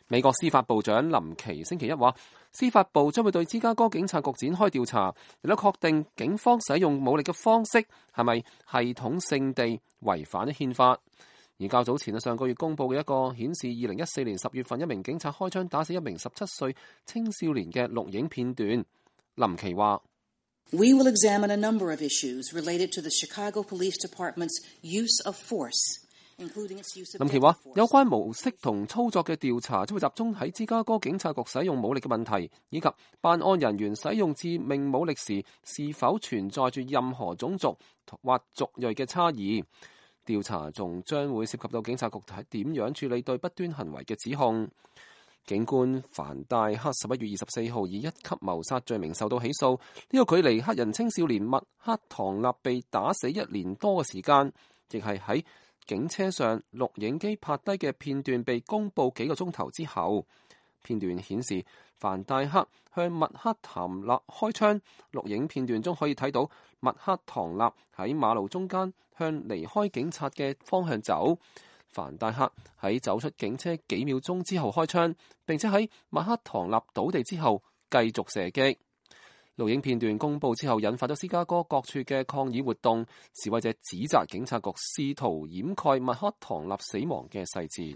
美國司法部長林奇星期一話，司法部將會對芝加哥警察局展開調查，亦都確定警方使用武力嘅方式係咪系統性地違反咗憲法。而較早前上個月公佈嘅一個顯示2014年10月份一名警察開槍打死一名17歲青少年嘅錄影片段，林奇話：We will examine a number of issues related to the Chicago Police Department's use of force。林奇話：有關模式同操作嘅調查將會集中喺芝加哥警察局使用武力嘅問題，以及辦案人員使用致命武力時是否存在住任何種族或族裔嘅差異。調查仲將會涉及到警察局係點樣處理對不端行為嘅指控。警官凡戴克11月24號以1級謀殺罪名受到起訴，呢個距離黑人青少年麥克唐納被打死1年多嘅時間，亦係喺警車上錄影機拍低嘅片段被公佈幾個鐘頭之後。片段顯示凡戴克向麥克唐納開槍，錄影片段中可以睇到麥克唐納喺馬路中間向離開警察嘅方向走。凡戴克喺走出警車幾秒鐘之後開槍，並且喺麥克唐納倒地之後繼續射擊。錄影片段公佈之後，引發咗芝加哥各處嘅抗議活動，示威者指責警察局試圖掩蓋麥克唐納死亡嘅細節。